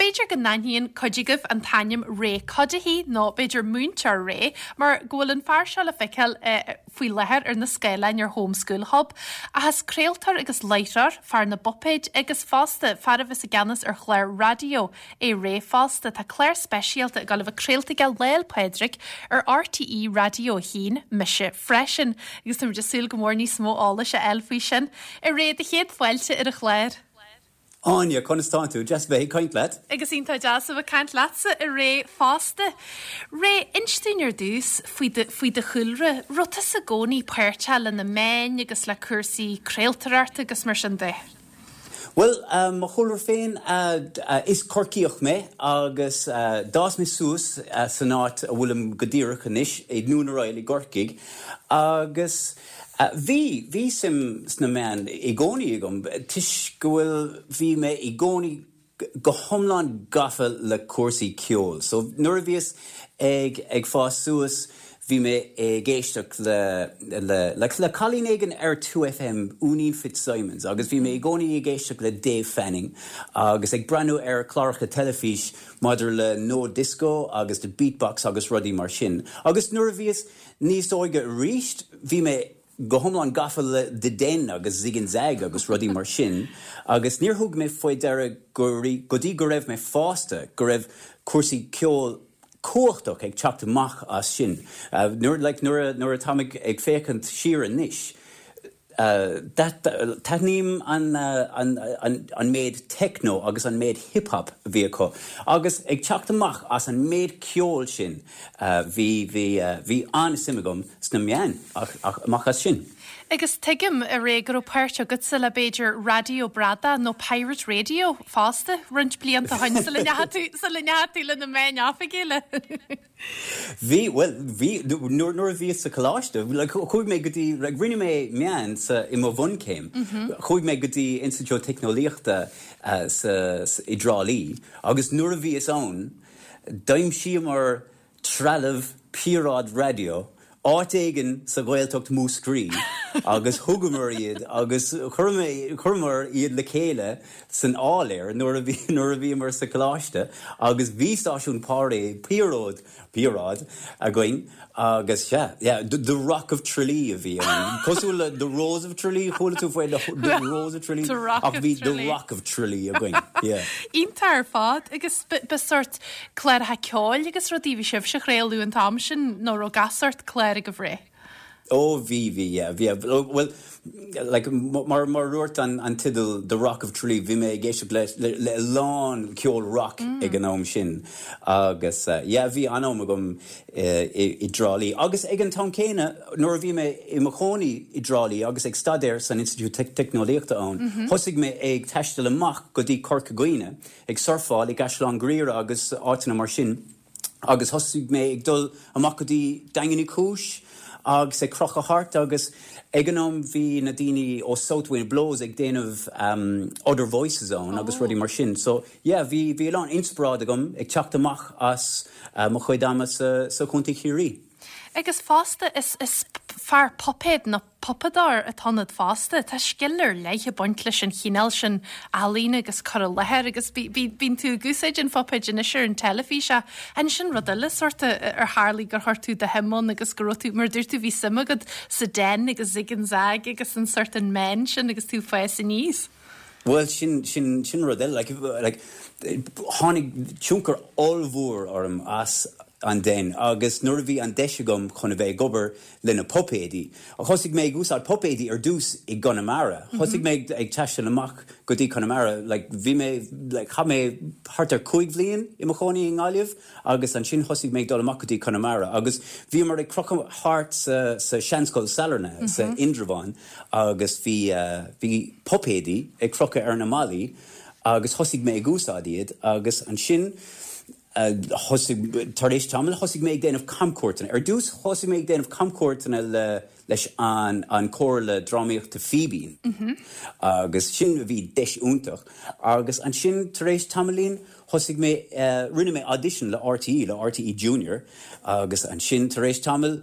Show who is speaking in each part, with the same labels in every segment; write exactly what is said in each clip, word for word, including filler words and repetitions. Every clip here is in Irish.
Speaker 1: b'fhéidir go n-aithníonn cuid agaibh an t-ainm Ray Cuddihy nó b'fhéidir Múinteoir Ray, mar go bhfuil an fear seo le feiceáil uh, faoi láthair ar na scáileáin ar Home School Hub, ach is craoltóir agus láithreoir, fear na bpuipéad agus fosta fear a bhí i gceannas ar chlár raidió é Ray fosta. Tá clár speisialta ag gabháil a bheith craolta aige Lá 'le Pádraig ar R T E Raidió a haon Mise Freisin, agus tá súil go mór níos mó eolais a fháil faoi sin. A Ray, do chéad fáilte ar an chlár.
Speaker 2: Áine, conas tá tú? Deas bheith ag caint leat?
Speaker 1: Agus iontach deas a bheith ag caint leatsa, a Ray, fosta. Ray, inis dúinn ar dtús faoi faoi do chúlra, raibh tusa i gcónaí páirteach le na meáin agus le cúrsaí craoltóireachta agus mar sin de.
Speaker 2: Well, um, mo chúlra féin uh, uh, is Corcaíoch mé agus uh, d'fhás mé suas uh, san áit a bhfuilim go díreach anois i nDún na Royal i gCorcaigh agus uh, bhí bhí suim sna meáin i gcónaí agam toisc go bhfuil bhí mé i gcónaí go hiomlán gafa le cúrsaí ceoil. So nuair a bhíos ag ag fás suas, bhí mé ag éisteacht le le le le cailín éigin ar two F M, Úinín Fitzsimons, agus bhí mé i gcónaí ag éisteacht le Dave Fanning agus ag breathnú ar chláracha teilifís maidir le No Disco agus the Beatbox agus rudaí mar sin. Agus nuair a bhíos níos óige arís, bhí mé go hiomlán gafa le The Den agus Zig and Zag agus rudaí mar sin, agus níor thug mé faoi deara go dtí go raibh mé fásta go raibh cúrsaí ceoil cumhachtach ag teacht amach as sin. Uh, nuair like, nuair nuair atá mé ag féachaint siar anois, Uh, Taitním an, uh, an, an, an méid techno agus an méid hip-hop bhí acu. Agus ag teacht amach as an méid ceoil sin, uh, bhí bhí uh, bhí an-suim agam sna meáin amach as sin.
Speaker 1: Agus tuigim, a Ray, go raibh páirt agatsa le b'fhéidir Raidió Bradán nó Pirate Radio fosta roinnt blianta ó shin sula ndeachaigh tú le na meáin oifigiúla.
Speaker 2: Bhí well bhí nuair a bhí sa choláiste, chuaigh mé go dtí rinne mé meáin sa i mo bhunchéim. Chuaigh mé go dtí Institiúid Teicneolaíochta uh, sa i dTrá Lí, agus nuair a bhíos ann, d'aimsíomar trealamh píoráid raidió áit éigin sa Ghaeltacht Mhúscraí agus thugamar iad agus chuireamar iad le chéile san áiléar nuair a bhí nuair a bhíomar sa choláiste agus bhí stáisiún páré píród píoráid againn agus yeah, yeah, the, the Rock of Tralee a bhí cosúil le the Rose of Tralee, chuala tú faoi the Rose of Tralee, ach bhí the Rock of Tralee againn. Yeah.
Speaker 1: Iontach ar fad agus ba sórt cláracha ceoil agus rudaí bhí sibh a chraoladh an t-am sin nó raibh gach sórt clár agaibh, Ray?
Speaker 2: Ó bhí bhí yeah, bhí well like mar mar dúirt an an teideal The Rock of Tralee, bhí mé ag éisteacht le le, le lán ceol rock mm. ag an am sin agus uh, yeah, bhí an-am agam uh, i, i dTrá Lí. Agus ag an t-am céanna nuair a bhí mé i mo chónaí i dTrá Lí agus ag staidéar san Institiúid Teicneolaíochta ann. Mm -hmm. Thosaigh mé ag taisteal amach go dtí Corca Dhuibhne ag surfáil i gCaisleán Ghriaire agus áiteanna mar sin. Agus thosaigh mé ag dul amach go dtí Daingean Uí Chúis, agus ag crochadh thart agus ag an am bhí na daoine ó South Wind Blows ag déanamh um, Other Voices ann oh. agus rudaí mar sin. So yeah, bhí bhí lán inspioráid agam ag teacht amach as uh, mo chuid ama sa, sa Chontae Chiarraí.
Speaker 1: Agus fosta is, is fear puipéad nó puipeadóir atá ionat fosta, tá scil ar leith ag baint leis an chineál sin ealaíne agus cur i láthair agus bíonn tú ag úsáid an phuipéid anois ar an teilifís an sin rud eile sórt ar tharla gur chuir tú do shuim ann agus go raibh tú mar dúirt tú bhí suim agat sa Den agus Zig and Zag agus an sórt an meán sin agus tú ag fás aníos.
Speaker 2: Well sin sin sin rud eile like, like, tháinig tionchar ollmhór orm as an Den agus nuair a bhí an deis agam chun a bheith ag obair le na puipéidí. Thosaigh mé ag úsáid puipéidí ar dtús i gConamara. Thosaigh mé ag taisteal amach go dtí Conamara, like, bhí mé like, chaith mé thart ar cúig bhliain i mo chónaí i nGaillimh agus ansin thosaigh mé dul amach go dtí Conamara agus bhíomar ag crochadh thart sa, sa Seanscoil Sailearna mm -hmm. sa Indreabhán agus bhí uh, bhí puipéidí ag crochadh ar na ballaí agus thosaigh mé ag úsáid iad agus ansin tar éis tamaill thosaigh mé ag déanamh camcuairteanna. Ar dtús thosaigh mé ag déanamh camcuairteanna le leis an an chomhairle drámaíochta Fíbín. Mm -hmm. agus sin bhí deis iontach agus ansin tar éis tamaillín thosaigh mé uh, rinne mé audition le R T E le R T E Junior agus ansin tar éis tamaill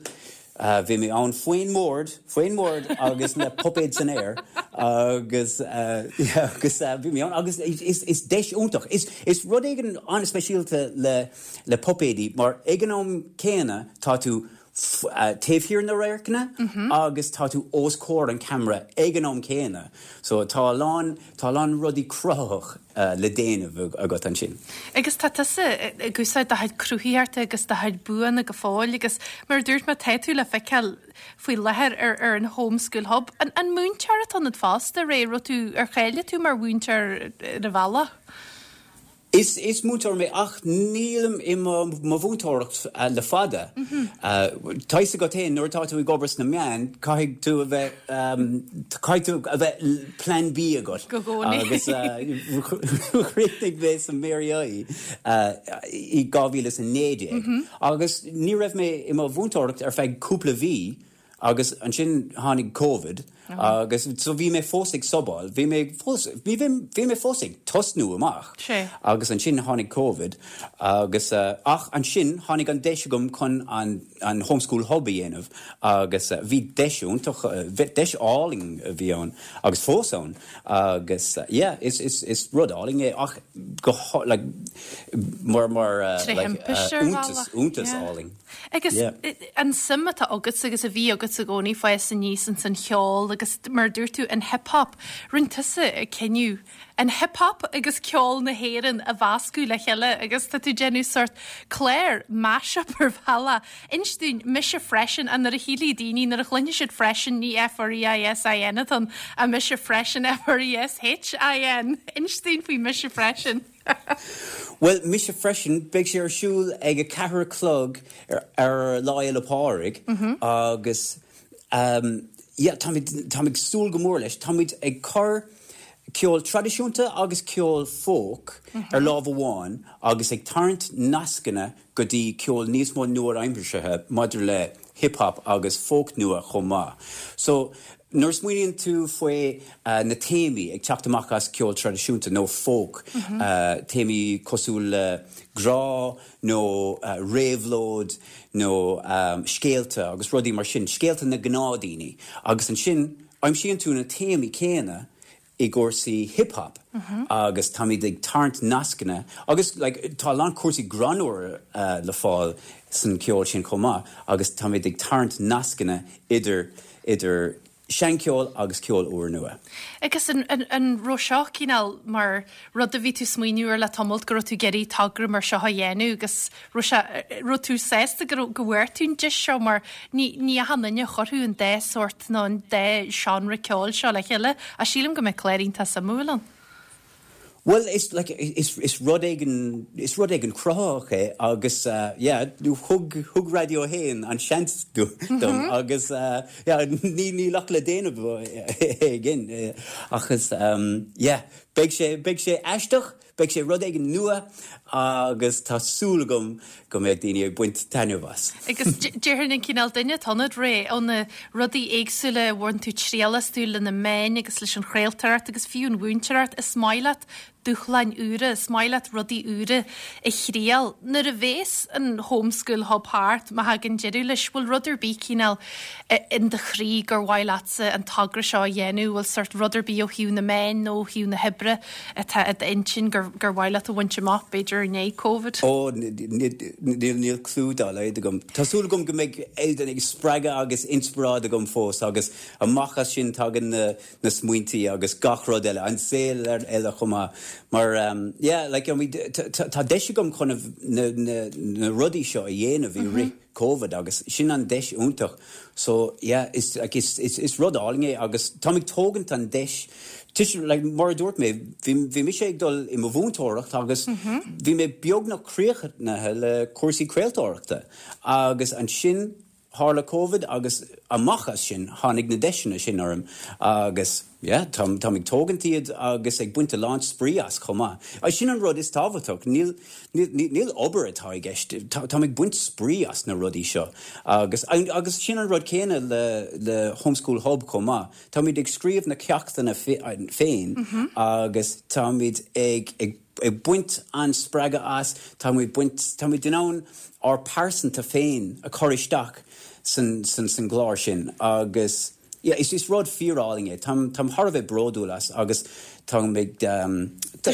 Speaker 2: Bhí mé ann faoin mbord faoin mbord agus le puipéid san aer agus agus bhí mé ann agus is is deis iontach. Is is rud éigin an-speisialta le le puipéidí mar ag an am céanna tá tú taobh thiar na radharcanna agus tá tú os comhair an camera ag an am céanna. So tá lán tá lán rudaí cruthaitheach uh, le déanamh agat ansin.
Speaker 1: Agus tá tusa ag úsáid do chuid cruthaitheachta agus do chuid buanna go fóill agus mar dúirt mé tá tú le feiceáil faoi láthair ar ar an Homeschool Hub. An, an múinteoir atá ionat fosta Ray raibh tú ar cháiligh tú mar mhúinteoir ar a bhealach?
Speaker 2: Is is múinteoir mé ach nílim i mo mhúinteoireacht uh, le fada. Mm -hmm. uh, Tá go féin nuair tá tú ag obair sna meáin caithfidh tú a bheith um, caithfidh tú a bheith plan B agat.
Speaker 1: agus
Speaker 2: chríochnaigh mé sa Mary I uh, i dhá mhíle is a naoi déag. Mm -hmm. agus ní raibh mé i mo mhúinteoireacht ar feadh cúpla mhí agus ansin tháinig COVID agus so bhí mé fós ag subáil, bhí mé fós bhí bhí mé fós ag tosnú amach. agus ansin tháinig COVID agus uh, ach ansin tháinig an deis agam chun an, an homeschool hub a dhéanamh agus uh, bhí deis iontach uh, deis álainn a bhí ann agus fós ann agus uh, yeah, is, is, is rud álainn é ach go like, mar mar uh, like, uh, iontas iontas álainn.
Speaker 1: Agus yeah. an suim atá agat agus a bhí agat i gcónaí fás aníos an cheol agus mar dúirt tú an hip-hop rinne tusa cinneadh an hip-hop agus ceol na hÉireann a mheascadh le chéile agus tá tú déanamh sort clár mashup ar bhealach. Inis dúinn mise freisin an nuair a shílfidh daoine nuair a chluinfidh siad freisin ní F R E I S I N atá ach mise freisin F R E S H I N. Inis dúinn faoi mise freisin.
Speaker 2: Well mise freisin beidh sé ar siúl ag a ceathair a chlog ar, ar Lá Fhéile Pádraig mm -hmm. agus um, yeah, tá ag súil go mór leis, Táimid ag cur ceol traidisiúnta agus ceol folk mm -hmm. ar lámh amháin agus ag tarraingt nascanna go dtí ceol níos mó nua-aimseartha maidir le hip-hop agus folk nua chomh maith. So nuair smaoiníonn tú faoi uh, na téamaí ag teacht amach as ceol traidisiúnta nó folk mm -hmm. uh, téamaí cosúil le grá nó uh, réabhlóid nó um, scéalta agus rudaí mar sin, scéalta na ngnáthdhaoine agus ansin aimsíonn tú na téamaí céanna i gcúrsaí hip-hop mm -hmm. agus táimid ag tarraingt nascanna agus like, tá lán cúrsaí greannmhar uh, le fáil san ceol sin chomh maith agus táimid ag tarraingt nascanna idir idir seancheol agus ceol úrnua.
Speaker 1: Agus an, an, an raibh seo cineál mar rud a bhí tú smaoineamh air le tamall go raibh tú ag iarraidh togra mar seo a dhéanamh agus raibh tú sásta go go bhfuair tú an deis seo mar ní ní achan duine a chuirfeadh an dá sort nó an dá seánra ceoil seo le chéile a sílim go mbeidh clár iontach suimiúil ann.
Speaker 2: Well is like is is rud éigin is rud éigin cruthaitheach é agus uh, yeah, thug thug Raidió a hAon an seans dom mm -hmm. agus uh, yeah, ní ní lach le déanamh again agus um, yeah, beidh sé beidh sé aisteach, beidh sé rud éigin nua agus tá súil agam go mbeidh daoine ag baint taitneamh as.
Speaker 1: Agus déarfainn an cineál duine atá ionat Ray ó na rudaí éagsúla a bhain tú triail astu le na meáin agus leis an chraoltóireacht agus fiú an mhúinteoireacht is maith leat dúshláin úra, is maith leat rudaí úra a thriail. Nuair a bhéas an homeschool hub thart má thagann deireadh leis bhfuil rud ar bith cineál in do chroí gur mhaith leatsa an togra seo a dhéanamh, bhfuil sort rud ar bith ó thaobh na meán nó ó thaobh na hoibre atá i d'intinn gur gur mhaith leat a bhaint amach b'fhéidir i ndiaidh COVID.
Speaker 2: Ó níl níl clue dá laghad agam. Tá súil agam go mbeidh éidir ag spreagadh agus inspioráid agam fós agus amach as sin tagann na, na smaointí agus gach rud eile an saol eile chomh maith. Mar um, yeah, like, I mean, tá deis agam chun na, na, na rudaí seo a dhéanamh i rith COVID agus sin an deis iontach. So yeah, is, like, is, is, is rud álainn é agus tá ag tógaint an deis Tis, like, mar a dúirt mé bhí mise ag dul i mo mhúinteoireacht agus mm -hmm. bhí mé beagnach críochnaithe le cúrsaí craoltóireachta agus ansin tharla COVID agus amach as sin tháinig na deiseanna sin orm agus yeah, tá tá ag tógaint iad agus ag baint a lán spraoi as chomh maith. A sin an rud is tábhachtach níl níl obair atá i gceist tá ag baint spraoi as na rudaí seo agus agus sin an rud céanna le le homeschool hub chomh maith. Táimid ag scríobh na ceachtanna féin mm -hmm. agus táimid ag ag ag baint an spreagadh as táimid baint táimid in ann ár pearsanta féin a chur isteach san san san gclár sin agus yeah, is is rud fíorálainn é Tá tá thar a bheith bródúil as agus tá ag um, tá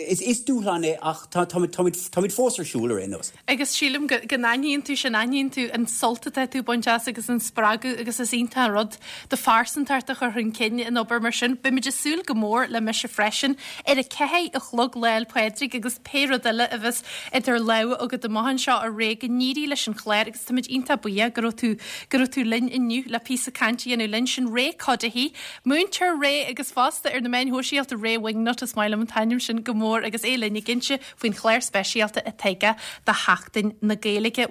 Speaker 2: is is dúshlán é ach táimid fós ar siúl ar aon nós.
Speaker 1: Agus sílim go n-aithníonn tú sin aithníonn tú an sult atá tú ag baint as agus an spreagadh agus is iontach an rud do phearsantacht a chur chun cinn in obair mar sin. Beimid ag súil go mór le mise freisin ar a ceathair a chlog Lá 'le Pádraig agus pé rud eile a bheas idir lámha agat amach anseo a Ray go n-éirí leis an chlár agus táimid iontach buíoch go raibh tú go raibh tú linn inniu le píosa cainte a dhéanamh linn sin Ray Cuddihy, Múinteoir Ray agus fosta ar na meáin shóisialta Ray Wingnut is maith liom an t-ainm sin go mór agus é linn ag inse faoin chlár speisialta atá aige do Sheachtain na Gaeilge.